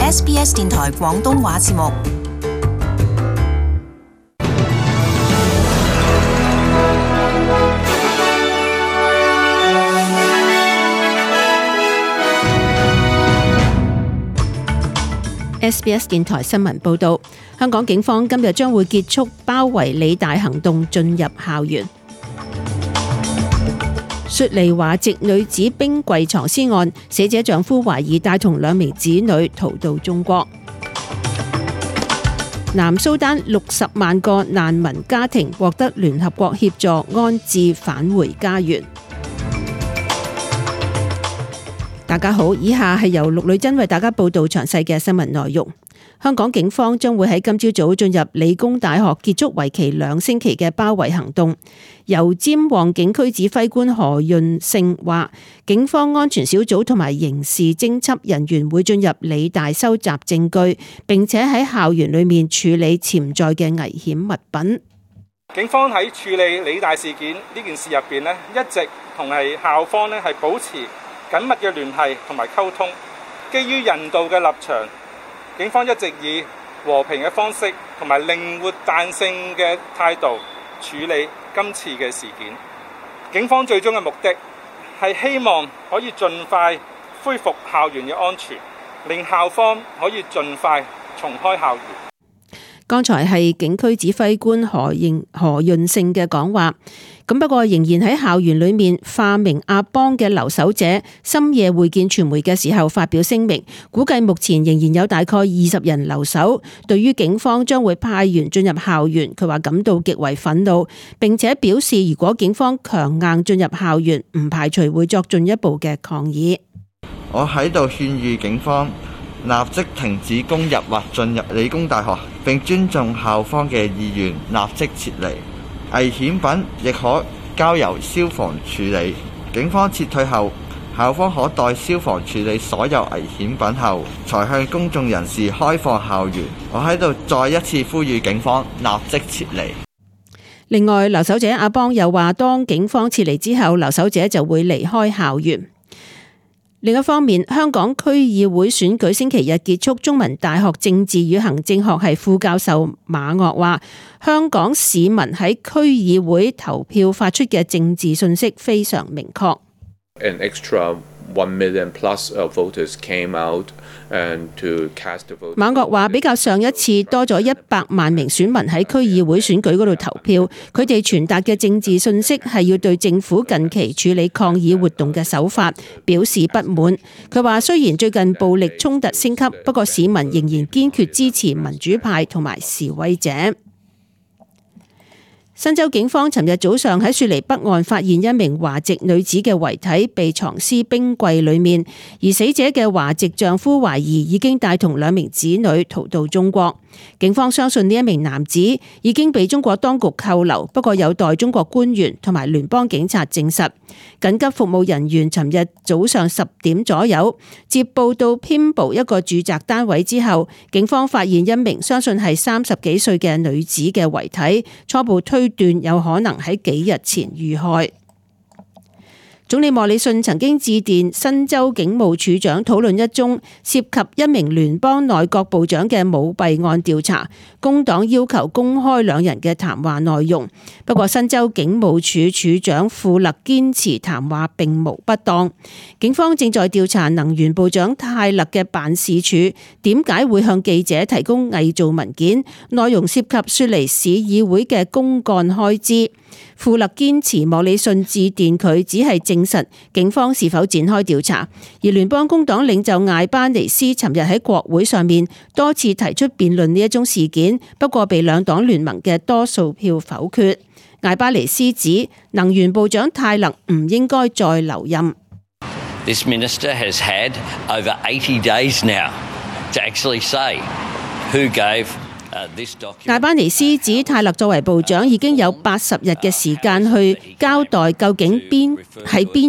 SBS 電台廣東話節目。SBS 電台新聞報道，香港警方今日將會結束包圍理大行動，進入校園。雪梨華籍女子冰櫃藏屍案，死者丈夫懷疑帶同2名子女逃到中國。南蘇丹60萬個難民家庭獲得聯合國協助安置返回家園。大家好，以下係由陸女珍為大家報道詳細嘅新聞內容。香港警方將會喺今朝早進入理工大學，結束為期2星期嘅包圍行動。油尖旺警區指揮官何潤勝話，警方安全小組同埋刑事偵緝人員會進入理大收集證據，並且喺校園裏面處理潛在嘅危險物品。警方喺處理理大事件呢件事入邊呢，一直同校方呢係保持緊密嘅聯繫同埋溝通，基於人道嘅立場，警方一直以和平嘅方式同埋靈活彈性嘅態度處理今次嘅事件。警方最終嘅目的係希望可以盡快恢復校園嘅安全，令校方可以盡快重開校園。剛才係警區指揮官何潤勝嘅講話。咁不過仍然喺校園裏面化名阿邦嘅留守者深夜會見傳媒嘅時候發表聲明，估計目前仍然有大概20人留守。對於警方將會派員進入校園，佢話感到極為憤怒，並且表示如果警方強硬進入校園，唔排除會作進一步嘅抗議。我喺度勸喻警方立即停止攻入或進入理工大學，並尊重校方嘅意願，立即撤離。危險品亦可交由消防處理。警方撤退後，校方可待消防處理所有危險品後，才向公眾人士開放校園。我喺度再一次呼籲警方立即撤離。另外，留守者阿邦又話，當警方撤離之後，留守者就會離開校園。另一方面，香港區議會選舉星期日結束，中文大學政治與行政學系副教授馬岳話，香港市民喺區議會投票發出嘅政治信息非常明確。An extra 1 million plus voters came out and to cast a vote. 馬岳話，比較上一次多咗100萬名選民喺區議會選舉嗰度投票，佢哋傳達嘅政治信息係要對政府近期處理抗議活動嘅手法表示不滿。佢話，雖然最近暴力衝突升級，不過市民仍然堅決支持民主派同埋示威者。新州警方尋日早上喺雪梨北岸發現一名華籍女子嘅遺體被藏屍冰櫃裏面，而死者嘅華籍丈夫懷疑已經帶同2名子女逃到中國。警方相信呢一名男子已經被中國當局扣留，不過有待中國官員同埋聯邦警察證實。緊急服務人員尋日早上10點左右接報到偏步一個住宅單位之後，警方發現一名相信係30幾歲嘅女子嘅遺體，初步推斷有可能喺幾日前遇害。總理莫里遜曾經致電新州警務處長討論一宗涉及一名聯邦內閣部長嘅舞弊案調查，工黨要求公開2人嘅談話內容。不過新州警務處處長富勒堅持談話並無不當。警方正在調查能源部長泰勒嘅辦事處點解會向記者提供偽造文件，內容涉及雪梨市議會嘅公幹開支。富勒堅持莫里遜致電佢只係證實警方是否展開調查，而聯邦工黨領袖艾巴尼斯尋日喺國會上面多次提出辯論呢一宗事件，不過被2黨聯盟嘅多數票否決。艾巴尼斯指能源部長泰勒唔應該再留任。This minister has had over 80 days now to actually say who gave艾巴尼斯指泰勒作為部長已經有80日嘅時間去交代究竟邊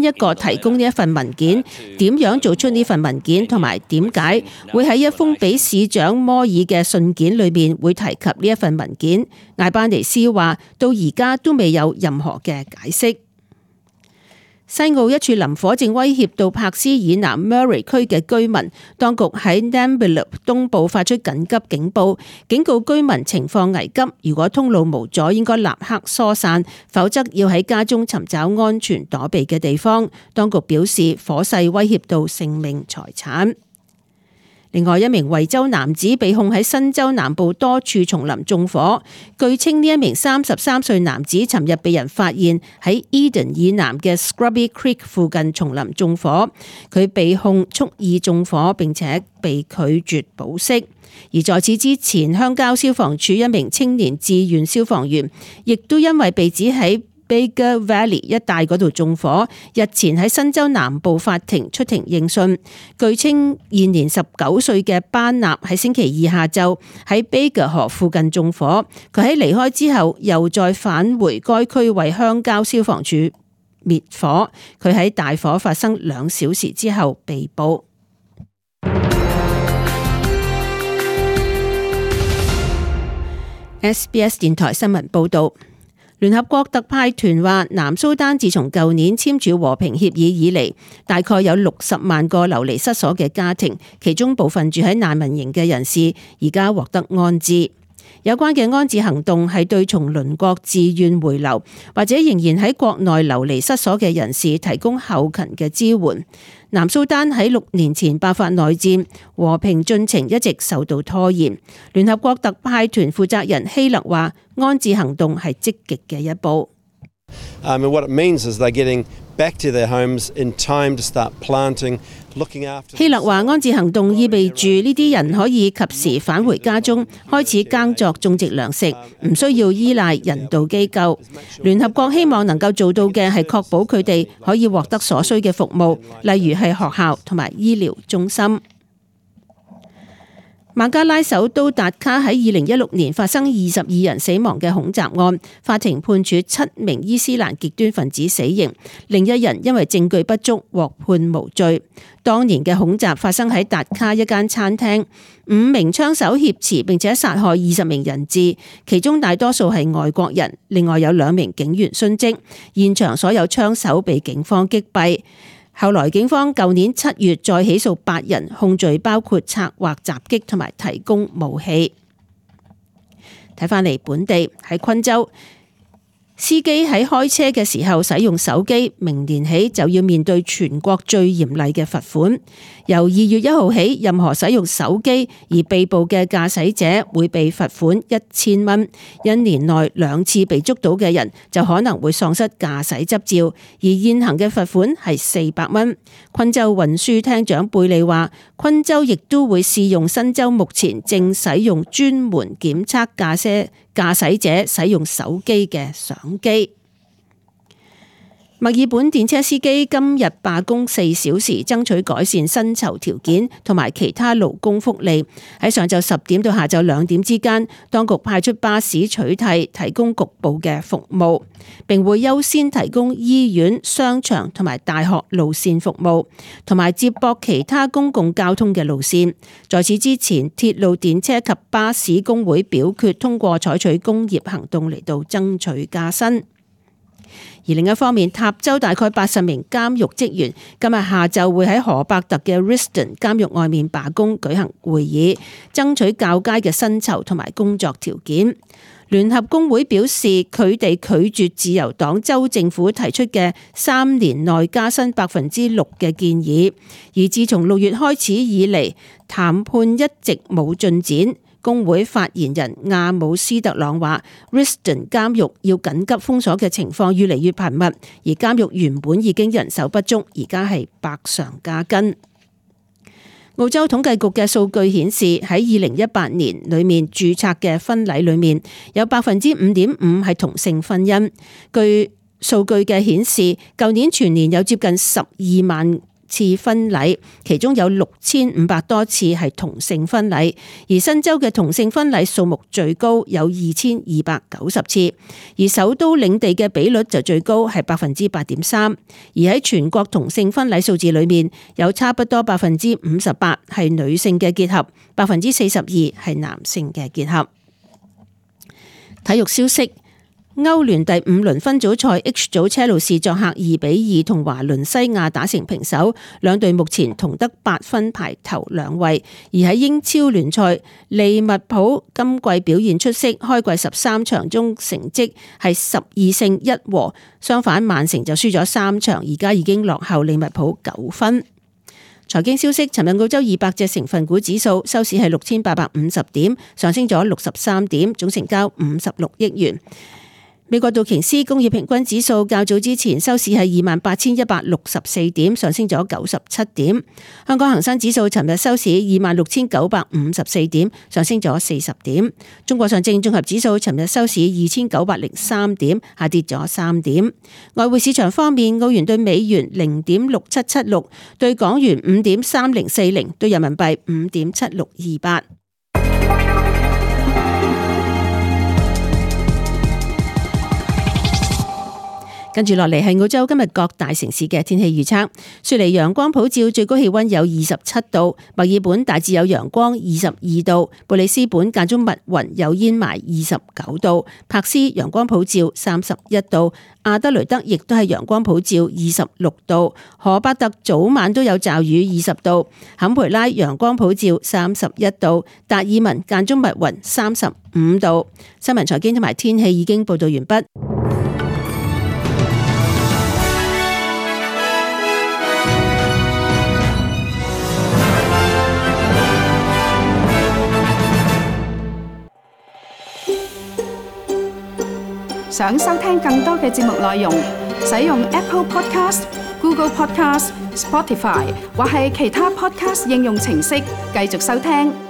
一個提供呢一份文件，點樣做出呢份文件，同埋點解會喺一封俾市長摩爾嘅信件裏面會提及呢一份文件。艾巴尼斯話到而家都未有任何嘅解釋。西澳一處林火正威脅到柏斯以南 Murray 區嘅居民，當局喺 Nambilu 東部發出緊急警報，警告居民情況危急，如果通路無阻，應該立刻疏散，否則要喺家中尋找安全躲避嘅地方。當局表示，火勢威脅到性命財產。另外一名維州男子被控喺新州南部多處叢林縱火，據稱呢一名33歲男子尋日被人發現喺 Eden 以南嘅 Scrubby Creek 附近叢林縱火，佢被控蓄意縱火並且被拒絕保釋。而在此之前，鄉郊消防處一名青年志願消防員亦都因為被指喺Bega Valley 一帶嗰度縱火，日前喺新州南部法庭出庭應訊。據稱，現年19歲嘅班納喺星期二下晝喺 Bega 河附近縱火，佢喺離開之後又再返回該區為鄉郊消防處滅火。佢喺大火發生2小時之後被捕。SBS 電台新聞報導。聯合國特派團話，南蘇丹自從舊年簽署和平協議以嚟，大概有60萬個流離失所嘅家庭，其中部分住喺難民營嘅人士，而家獲得安置。有關嘅安置行動係對從鄰國自願回流或者仍然喺國內流離失所嘅人士提供後勤嘅支援。南蘇丹喺6年前爆發內戰，和平進程一直受到拖延。聯合國特派團負責人希勒話，安置行動係積極嘅一步。What it means is they're getting back to their homes in time to start planting, looking after. 希勒話，安置行動意味住呢啲人可以及時返回家中，開始耕作種植糧食，唔需要依賴人道機構。聯合國希望能夠做到嘅係確保佢哋可以獲得所需嘅服務，例如係學校同埋醫療中心。孟加拉首都達卡喺2016年發生22人死亡嘅恐襲案，法庭判處7名伊斯蘭極端分子死刑，另一人因為證據不足獲判無罪。當年嘅恐襲發生喺達卡一間餐廳，5名槍手挾持並且殺害20名人質，其中大多數係外國人，另外有2名警員殉職，現場所有槍手被警方擊斃。後來警方舊年7月再起訴8人，控罪包括策劃襲擊同埋提供武器。睇返嚟本地喺昆州，司機喺開車嘅時候使用手機，明年起就要面對全國最嚴厲嘅罰款。由2月1號起，任何使用手機而被捕嘅駕駛者會被罰款1000蚊。1年內2次被捉到嘅人就可能會喪失駕駛執照，而現行嘅罰款係400蚊。昆州運輸廳長貝利話，昆州亦都會試用新州目前正使用專門檢測駕駛者使用手機嘅相機。墨爾本電車司機今日罷工4小時，爭取改善薪酬條件同埋其他勞工福利。喺上晝10點到下晝2點之間，當局派出巴士取替，提供局部嘅服務，並會優先提供醫院、商場同埋大學路線服務，同埋接駁其他公共交通嘅路線。在此之前，鐵路電車及巴士工會表決通過採取工業行動嚟到爭取加薪。而另一方面，塔州大概80名監獄職員今日下晝會喺河伯特嘅 Risdon 監獄外面罷工舉行會議，爭取較佳嘅薪酬同埋工作條件。聯合工會表示，佢哋拒絕自由黨州政府提出嘅3年內加薪6%嘅建議，而自從6月開始以嚟，談判一直冇進展。工會發言人亞姆斯特朗話 Risdon 監獄要緊急封鎖嘅情況越嚟越頻密，而監獄原本已經人手不足，而家係百上加斤。澳洲統計局嘅數據顯示，喺2018年裏面註冊嘅婚禮裏面有 5.5% 係同性婚姻。據數據嘅顯示，舊年全年有接近12萬次婚禮，其中有6500多次係同性婚禮，而新州嘅同性婚禮數目最高，有2290次，而首都領地嘅比率就最高，係 8.3%， 而喺全國同性婚禮數字裏面，有差不多 58% 係女性嘅結合， 42% 係男性嘅結合。體育消息。歐聯第5輪分組賽 H 組車路士作客2-2同華倫西亞打成平手，兩隊目前同得8分排頭兩位。而喺英超聯賽，利物浦今季表現出色，開季13場中成績係12勝1和，相反曼城就輸咗3場，而家已經落後利物浦9分。財經消息，尋日澳洲200隻成分股指數收市係6850點，上升咗63點，總成交56億元。美國道瓊斯工業平均指數較早之前收市係28,164點，上升咗97點。香港恒生指數尋日收市26,954點，上升咗40點。中國上證綜合指數尋日收市2,903點，下跌咗3點。外匯市場方面，澳元對美元0.6776，對港元5.3040，對人民幣5.7628。跟住落嚟係澳洲今日各大城市嘅天氣預測。雪梨陽光普照，最高氣溫有27度；墨爾本大致有陽光22度；布里斯本間中密雲有煙霾29度；柏斯陽光普照31度；阿德雷德亦都係陽光普照26度；荷伯特早晚都有驟雨20度；坎培拉陽光普照31度；達爾文間中密雲35度。新聞財經同埋天氣已經報道完畢。想收聽更多嘅節目內容，使用 Apple Podcast、Google Podcast、Spotify 或係其他 Podcast 應用程式繼續收聽。